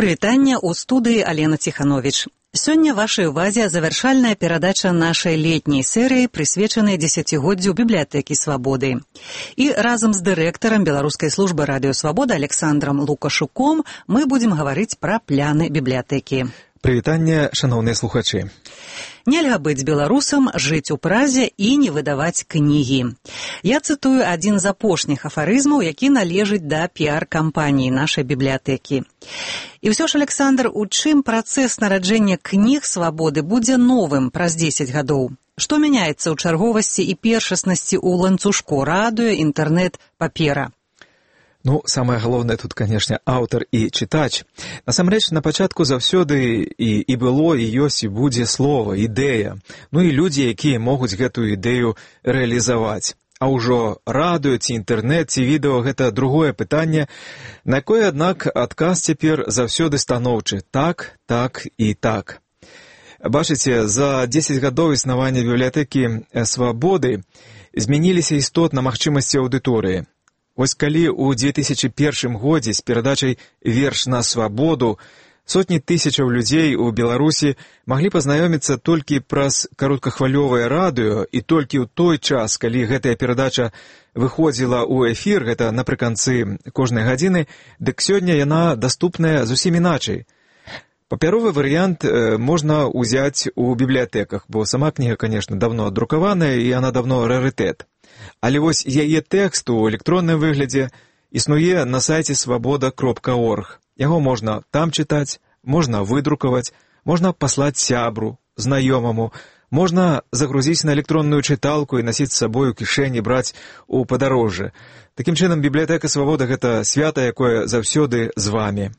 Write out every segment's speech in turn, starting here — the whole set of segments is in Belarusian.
Прывітанне ў студыі Алена Ціхановіч. Сёння вашай увазе завяршальная перадача нашай летняй серыі, прысвечанай дзесяцігоддзю бібліятэкі Свабоды. І разам з дырэктарам Беларускай службы радыё Свабода Александрам Лукашуком мы будзем гаварыць пра пляны бібліятэкі. Прывітанне, шаноўныя слухачы. Нельга быць беларусам, жыць у празе і не выдаваць кнігі. Я цытую адзін з апошніх афарызмаў, які належыць да піар-кампаніі нашай бібліятэкі. І ўсё ж, Александр, у чым працэс нараджэння кніг Свабоды будзе новым праз 10 гадоў? Што мяняецца ў чарговасці і першаснасці ў ланцужку радыё, інтэрнэт, папера? Самае галоўнае тут, канешне, аўтар і чытач. Насамрэч, на пачатку заўсёды і было, і ёсць, і будзе слова, ідэя. І людзі, якія могуць гэтую ідэю рэалізаваць. А ўжо радыё, ці інтэрнэт, ці відэо – гэта другое пытанне, на якое, аднак, адказ цяпер заўсёды станоўчы. Так, так і так. Бачыце, за 10 гадоў існавання бібліятэкі Свабоды змяніліся істотна магчымасці аўдыторыі. Вось калі ў 2001 годзе з перадачай «Верш на свабоду» сотні тысячаў людзей у Беларусі маглі пазнаёміцца толькі праз кароткахвалёвае радыё і толькі ў той час, калі гэтая перадача выходзіла ў эфір, гэта напрыканцы кожнай гадзіны, дык сёння яна даступная зусім іначай. Папяровы варыянт можна ўзяць у бібліятэках, бо сама кніга, канешне, давно адрукаваная і яна давно рарытэт. Але вось яе тэкст у электронным выглядзе існуе на сайце свабода.орг. Яго можна там чытаць, можна выдрукаваць, можна паслаць сябру, знаёмаму, можна загрузіць на электронную чыталку і насіць з сабой у кішэні, браць у падарожжы. Такім чынам, бібліятэка Свабода – гэта свята, якое заўсёды з вамі.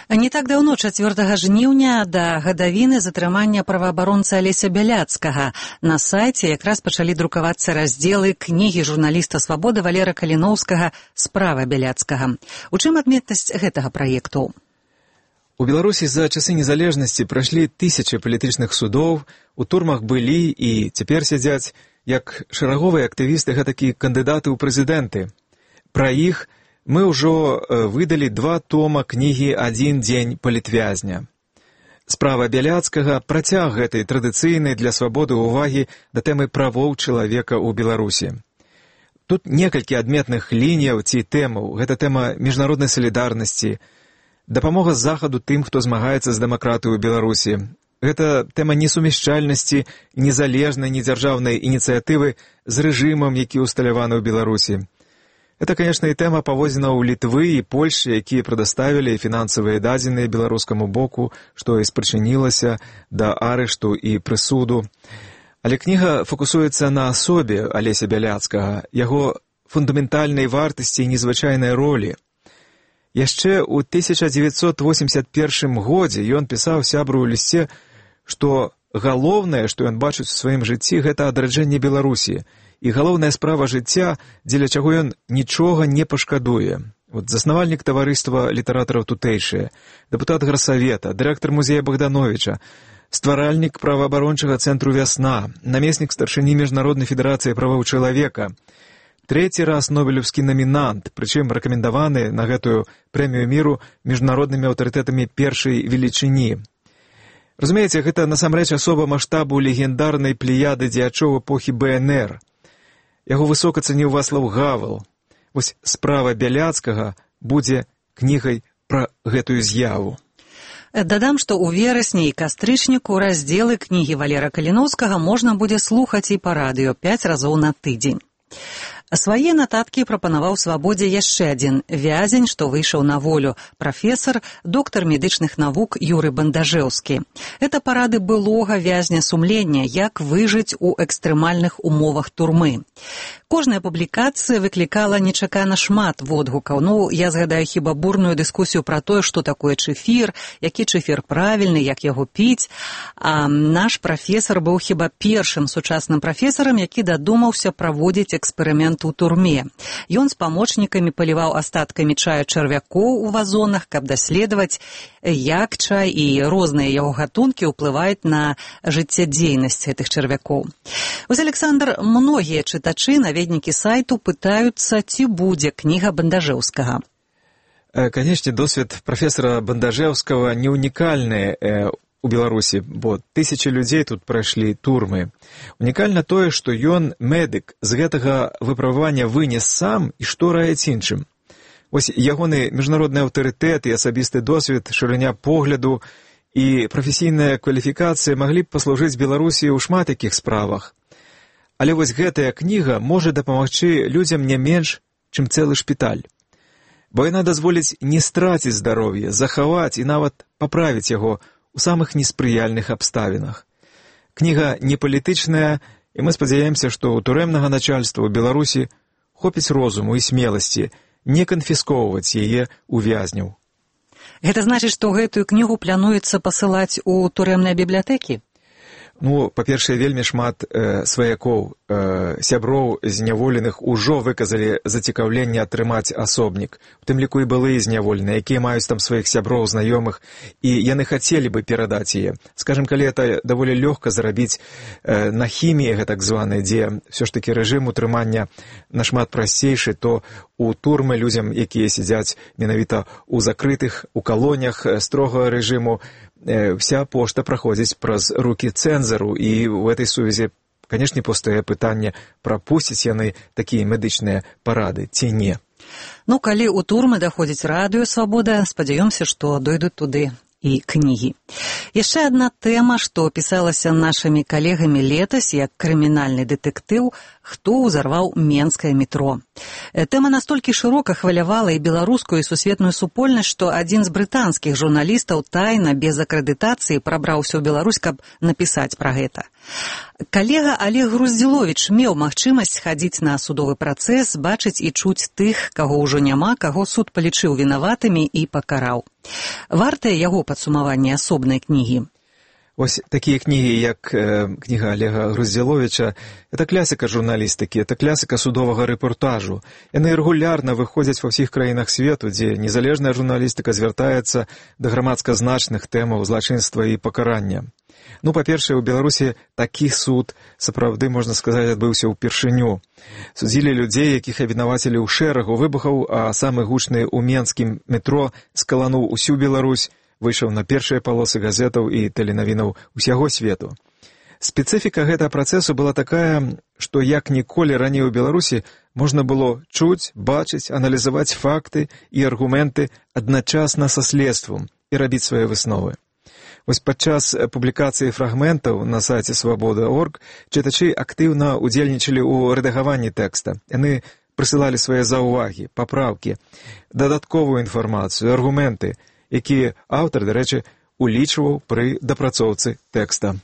Не так даўно, 4 жніўня, да гадавіны затрымання праваабаронцы Алеся Бяляцкага. На сайце якраз пачалі друкавацца раздзелы кнігі журналіста Свабоды Валера Каліноўскага «Справа Бяляцкага». У чым адметнасць гэтага праекту? У Беларусі за часы незалежнасці прайшлі тысячы палітычных судоў, у турмах былі і цяпер сядзяць як шараговыя актывісты, гэтакі кандыдаты ў прэзідэнты. Пра іх мы ўжо выдалі 2 тома кнігі «Адзін дзень палітвязня». «Справа Бяляцкага» – працяг гэтай традыцыйнай для свабоды ўвагі да тэмы правоў чалавека ў Беларусі. Тут некалькі адметных лініяў ці тэмаў. Гэта тэма міжнароднай салідарнасці, дапамога захаду тым, хто змагаецца з дэмакратыяй у Беларусі. Гэта тэма несумяшчальнасці незалежнай недзяржаўнай ініцыятывы з рэжымам, які ўсталяваны ў Беларусі. Это, конечно, і тэма паводзінаў Літвы і Польшчы, якія прадаставілі фінансавыя дадзеныя беларускаму боку, што і спрычынілася да арышту і прысуду. Але кніга фокусуецца на асобе Алеся Бяляцкага, яго фундаментальнай вартасці і незвычайнай ролі. Яшчэ ў 1981 годзе ён пісаў сябру ў лісце, што галоўнае, што ён бачыць у сваім жыцці, гэта адраджэнне Беларусі. І галоўная справа жыцця, дзеля чаго ён нічога не пашкадуе. Заснавальнік таварыства літаратараў тутэйшыя, дэпутат гарсавета, дырэктар музея Богдановича, стваральнік праваабарончага цэнтру «Вясна», намеснік старшыні Міжнароднай федэрацыі правоў чалавека, 3 раз нобелеўскі намінант, прычым рэкамендаваны на гэтую прэмію міру міжнароднымі аўтарытэтамі першай велічыні. Разумееце, гэта насамрэч асоба маштабу легендарнай плеяды дзеячоў эпохі БНР. Яго высока цаніў Вацлаў Гавел. Вось «Справа Бяляцкага» будзе кнігай пра гэтую з'яву. Дадам, што ў верасні і кастрычніку раздзелы кнігі Валера Каліноўскага можна будзе слухаць і па радыё 5 разоў на тыдзень. Свае нататкі прапанаваў Свабодзе яшчэ адзін вязень, што выйшаў на волю, прафесар, доктар медычных навук Юрый Бандажэўскі. Это парады былога вязня сумлення, як выжыць у экстрэмальных умовах турмы. Кожная публікацыя выклікала нечакана шмат водгукаў. Я згадаю хіба бурную дыскусію пра тое, што такое чэфір, які чэфір правільны, як яго піць. А наш прафесар быў хіба першым сучасным прафесарам, які дадумаўся праводзіць эксперымент у турме. Ён з памочнікамі паліваў астаткамі чаю чарвякоў у вазонах, каб даследаваць, як чай і розныя яго гатункі ўплываюць на жыццядзейнасць гэтых чарвякоў. Вось, Александр, многія чытачы, наведнікі сайту пытаюцца, ці будзе кніга Бандажэўскага. Канешне, досвед прафесара Бандажэўскага не унікальны у Беларусі, бо тысячы людзей тут прайшлі турмы. Унікальна тое, што ён, медык, з гэтага выпрабавання вынес сам і што раіць іншым. Вось ягоны міжнародны аўтарытэт і асабісты досвед, шырыня погляду і прафесійная кваліфікацыя маглі б паслужыць Беларусі ў шмат якіх справах. Але вось гэтая кніга можа дапамагчы людзям не менш, чым цэлы шпіталь. Бо яна дазволіць не страціць здароўе, захаваць і нават паправіць яго у самых неспрыяльных абставінах. Кніга не палітычная, і мы спадзяемся, што ў турэмнага начальства ў Беларусі хопіць розуму і смеласці не канфіскоўваць яе ў вязняў. Гэта значыць, што гэтую кнігу плануецца пасылаць у турэмныя бібліятэкі? Ну, па-першае, вельмі шмат сваякоў, сяброў зняволеных ужо выказалі зацікаўленне атрымаць асобнік. У тым ліку і былыя зняволеныя, якія маюць там сваіх сяброў, знаёмых, і яны хацелі бы перадаць яе. Скажем, калі это даволі лёгка зрабіць на хіміі, гэтак званай, дзе ўсё ж такі рэжым утрымання нашмат прасцейшы, то у турмы людзям, якія сядзяць менавіта ў закрытых, у калоніях строгага рэжыму, вся пошта праходзіць праз рукі цэнзару, і ў этой сувязі, канешне, паўстае пытанне, прапусцяць яны такія медычныя парады ці не. Ну, калі ў турмы даходзіць радыё «Свабода», спадзяёмся, што дойдуць туды і кнігі. Яшчэ адна тэма, што пісалася нашымі калегамі летась, як крымінальны дэтэктыў «Хто ўзарваў менскае метро». Тэма настолькі шырока хвалявала і беларускую, і сусветную супольнасць, што адзін з брытанскіх журналістаў тайна, без акрэдытацыі, прабраўся ў Беларусь, каб напісаць пра гэта. Калега Олег Груздзіловіч меў магчымасць хадзіць на судовы працэс, бачыць і чуць тых, каго ўжо няма, каго суд палічыў вінаватымі і пакараў. Вартае яго падсумаванне асобнай кнігі? Вось такія кнігі, як кніга Олега Груздзіловіча, это класіка журналістыкі, это класіка судовага рэпортажу. Яны рэгулярна выходзяць ва ўсіх краінах свету, дзе незалежная журналістыка звяртаецца да грамадска значных тэмаў злачынства і пакарання. Ну, па-першае, у Беларусі такі суд, сапраўды, можна сказаць, адбыўся ўпершыню. Судзілі людзей, якіх абвінавацілі ў шэрагу выбухаў, а самы гучны ў менскім метро скалануў усю Беларусь, выйшаў на першыя палосы газетаў і тэленавінаў усяго свету. Спецыфіка гэтага працэсу была такая, што як ніколі раней у Беларусі можна было чуць, бачыць, аналізаваць факты і аргументы адначасна са следствам і рабіць свае высновы. Вось падчас публікацыі фрагментаў на сайце «Свабода.орг» чытачы актыўна удзельнічалі ў рэдагаванні тэкста. Яны прысылалі свае заўвагі, папраўкі, дадатковую інфармацыю, аргументы, якія аўтар, дарэчы, улічваў пры дапрацоўцы тэкста.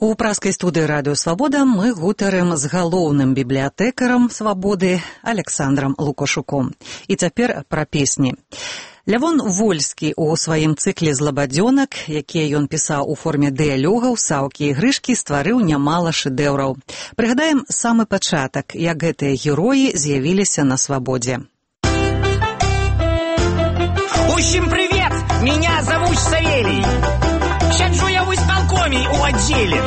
У праскай студыі радыё «Свабода» мы гутарым з галоўным бібліятэкарам «Свабоды» Александрам Лукашуком. І цяпер пра песні. Лявон Вольскі у сваім цыкле злабадзёнак, якія ён пісаў у форме дыялогаў, саўкі і грышкі, стварыў нямала шэдэўраў. Прыгадаем самы пачатак, як гэтыя героі з'явіліся на свабодзе. Всем привет! Меня зовут Савелий. Сяджу я в исполкоме у отделе.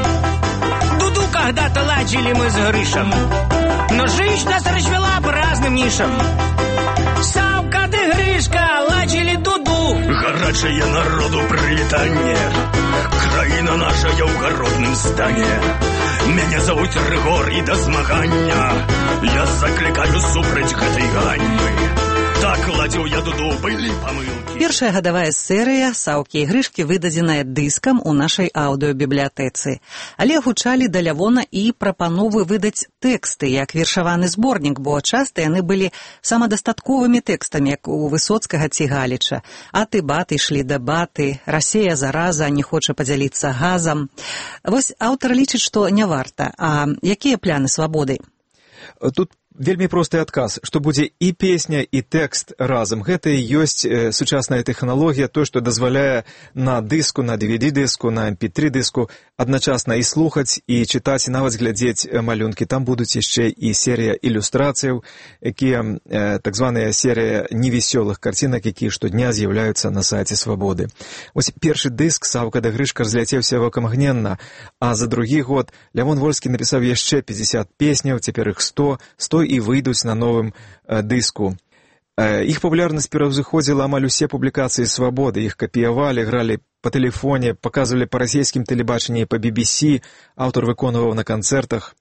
Дуду когда-то ладили мы с Гришем, но жизнь нас развела по разным нишам. Савка да Гришка ладили дуду. Горячее народу привитание. Краина наша я в городном стане. Меня зовут Рыгор и до змагання я закликаю супраць гэтай ганьбы. Так ладзіў я дуду, былі памылкі. Першая гадавая серыя «Саўкі і грышкі» выдадзеная дыскам у нашай аўдыёбібліятэцы. Але гучалі да Лявона і прапановы выдаць тэксты, як вершаваны зборнік, бо часта яны былі самадастатковымі тэкстамі, як у Высоцкага ці Галіча. Аты баты ішлі да баты, Расея зараза не хоча падзяліцца газам. Вось аўтар лічыць, што не варта. А якія пляны свабоды? Тут вельмі просты адказ, што будзе і песня, і тэкст разам. Гэта і ёсць сучасная тэхналогія, то, што дазваляе на дыску, на DVD-дыску, на MP3-дыску адначасна і слухаць, і чытаць, і нават глядзець малюнкі. Там будуць яшчэ і серія ілюстрацыяў, якія, так званая серія невесёлых карцінак, якія штодня з'яўляюцца на сайце Свабоды. Вось першы дыск «Саўка да Грышка» разляцеўся вакамгненна, а за другі год Лявон Вольскі напісаў яшчэ 50 песняў, цяпер іх 100 і выйдуць на новым дыску. Іх папулярнасць пераўзыходзіла амаль усе публікацыі «Свабоды». Іх капіявалі, гралі па тэлефоне, паказвалі па расійскім тэлебачанні і па BBC, аўтар выконваў на канцэртах.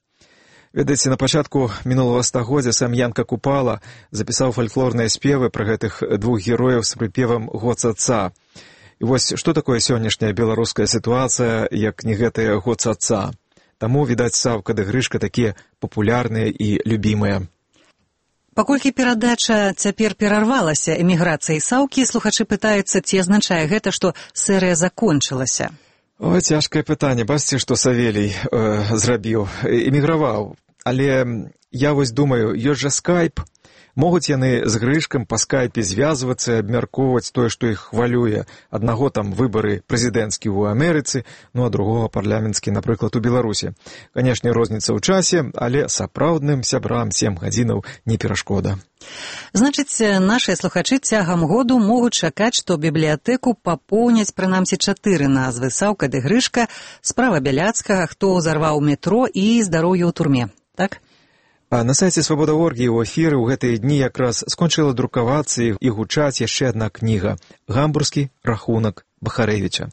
Ведаеце, на пачатку мінулага стагоддзя сам Янка Купала запісаў фальклорныя спевы пра гэтых двух герояў з прыпевам «Год отца». І вось што такое сённяшняя беларуская сітуацыя, як не гэтая «Год отца». Таму, відаць, Саўка ды Грышка такія папулярныя і любімыя. Паколькі перадача цяпер перарвалася эміграцыяй Саўкі, слухачы пытаюцца, ці азначае гэта, што серыя закончылася. Ой, цяжкае пытанне. Бачыце, што Савелій зрабіў. Эміграваў. Але я вось думаю, ёсць жа скайп. Могуць яны з Грышкам па скайпе звязвацца, абмяркоўваць тое, што іх хвалюе. Аднаго там выбары прэзідэнцкія ў Амерыцы, ну а другога парламенцкі, напрыклад, у Беларусі. Канешне, розніца ў часе, але сапраўдным сябрам 7 гадзінаў не перашкода. Значыць, нашыя слухачы цягам году могуць чакаць, што бібліятэку папоўняць прынамсі 4 назвы: Саўка ды Грышка, Справа Бяляцкага, Хто ўзарваў метро і Здароўе ў турме. Так? А на сайце «Свабода.орг» у эфіры ў гэтыя дні якраз скончыла друкавацца і гучаць яшчэ адна кніга «Гамбургскі рахунак Бахарэвіча».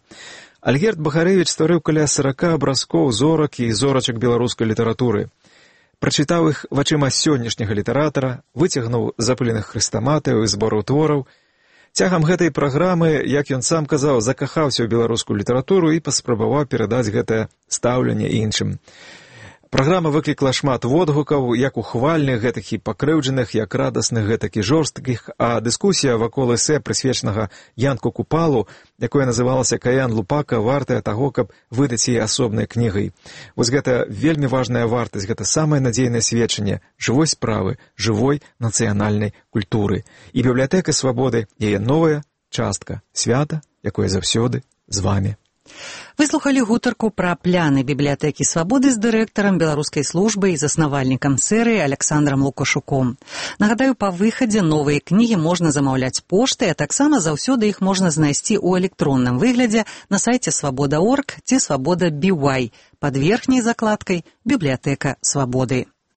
Альгерд Бахарэвіч стварыў каля 40 абразкоў зорак і зорачак беларускай літаратуры. Прачытаў іх вачыма сённяшняга літаратара, выцягнуў з запыленых хрэстаматыяў і збораў твораў. Цягам гэтай праграмы, як ён сам казаў, закахаўся ў беларускую літаратуру і паспрабаваў перадаць гэтае стаўленне іншым. Праграма выклікла шмат водгукаў, як ухвальных, гэтак і пакрыўджаных, як радасных, гэтак і жорсткіх, а дыскусія вакол эсэ, прысвечанага Янку Купалу, якое называлася «Каян Лупака», вартая таго, каб выдаць яе асобнай кнігай. Вось гэта вельмі важная вартасць, гэта самае надзейнае сведчанне жывой справы, жывой нацыянальнай культуры. І бібліятэка «Свабоды» — яе новая частка, свята, якое заўсёды з вамі. Вы слухалі гутарку пра пляны бібліятэкі «Свабоды» з дырэктарам беларускай службы і заснавальнікам серыі Александрам Лукашуком. Нагадаю, па выхадзе новыя кнігі можна замаўляць поштай, а таксама заўсёды іх можна знайсці ў электронным выглядзе на сайце «Свабода.орг» ці «Свабода.by» пад верхняй закладкай «Бібліятэка Свабоды».